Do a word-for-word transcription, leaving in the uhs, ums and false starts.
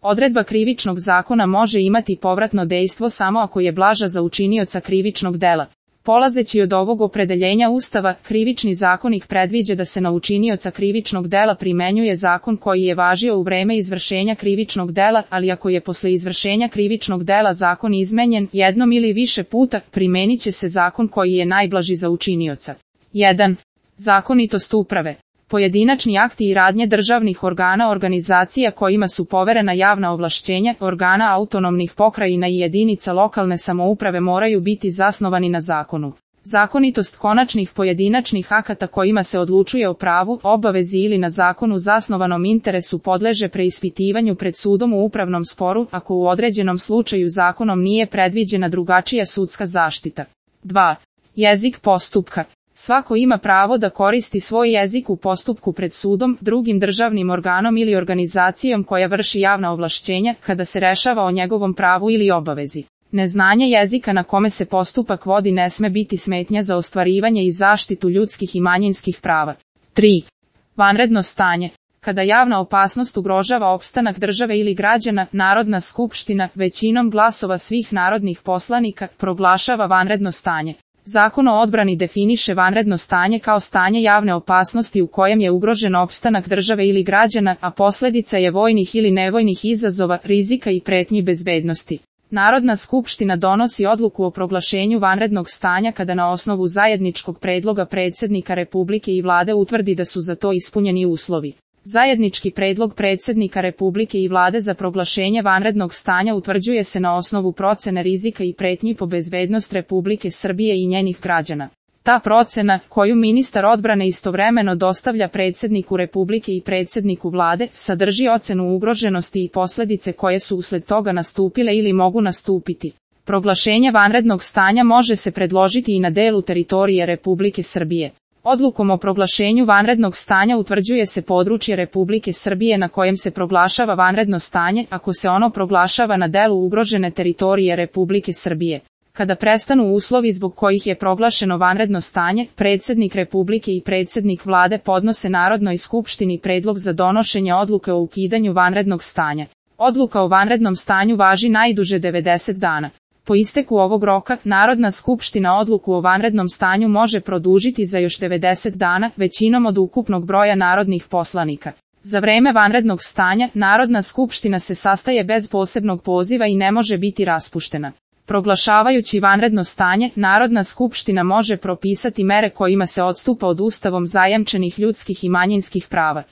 Odredba krivičnog zakona može imati povratno dejstvo samo ako je blaža za učinioca krivičnog dela. Polazeći od ovog opredeljenja Ustava, Krivični zakonik predviđa da se na učinioca krivičnog dela primenjuje zakon koji je važio u vreme izvršenja krivičnog dela, ali ako je posle izvršenja krivičnog dela zakon izmenjen jednom ili više puta, primenit će se zakon koji je najblaži za učinioca. jedan. Zakonitost uprave. Pojedinačni akti i radnje državnih organa organizacija kojima su poverena javna ovlašćenja, organa autonomnih pokrajina i jedinica lokalne samouprave moraju biti zasnovani na zakonu. Zakonitost konačnih pojedinačnih akata kojima se odlučuje o pravu, obavezi ili na zakonu zasnovanom interesu podleže preispitivanju pred sudom u upravnom sporu, ako u određenom slučaju zakonom nije predviđena drugačija sudska zaštita. dva. Jezik postupka. Svako ima pravo da koristi svoj jezik u postupku pred sudom, drugim državnim organom ili organizacijom koja vrši javna ovlašćenja, kada se rešava o njegovom pravu ili obavezi. Neznanje jezika na kome se postupak vodi ne sme biti smetnja za ostvarivanje i zaštitu ljudskih i manjinskih prava. tri. Vanredno stanje. Kada javna opasnost ugrožava opstanak države ili građana, Narodna skupština, većinom glasova svih narodnih poslanika, proglašava vanredno stanje. Zakon o odbrani definiše vanredno stanje kao stanje javne opasnosti u kojem je ugrožen opstanak države ili građana, a posljedica je vojnih ili nevojnih izazova, rizika i pretnji bezbednosti. Narodna skupština donosi odluku o proglašenju vanrednog stanja kada na osnovu zajedničkog predloga predsjednika Republike i Vlade utvrdi da su za to ispunjeni uslovi. Zajednički predlog predsjednika Republike i Vlade za proglašenje vanrednog stanja utvrđuje se na osnovu procene rizika i pretnji po bezbednost Republike Srbije i njenih građana. Ta procena, koju ministar odbrane istovremeno dostavlja predsjedniku Republike i predsjedniku Vlade, sadrži ocenu ugroženosti i posljedice koje su usled toga nastupile ili mogu nastupiti. Proglašenje vanrednog stanja može se predložiti i na delu teritorije Republike Srbije. Odlukom o proglašenju vanrednog stanja utvrđuje se područje Republike Srbije na kojem se proglašava vanredno stanje, ako se ono proglašava na delu ugrožene teritorije Republike Srbije. Kada prestanu uslovi zbog kojih je proglašeno vanredno stanje, predsjednik Republike i predsjednik Vlade podnose Narodnoj skupštini predlog za donošenje odluke o ukidanju vanrednog stanja. Odluka o vanrednom stanju važi najduže devedeset dana. Po isteku ovog roka, Narodna skupština odluku o vanrednom stanju može produžiti za još devedeset dana, većinom od ukupnog broja narodnih poslanika. Za vreme vanrednog stanja, Narodna skupština se sastaje bez posebnog poziva i ne može biti raspuštena. Proglašavajući vanredno stanje, Narodna skupština može propisati mere kojima se odstupa od Ustavom zajamčenih ljudskih i manjinskih prava.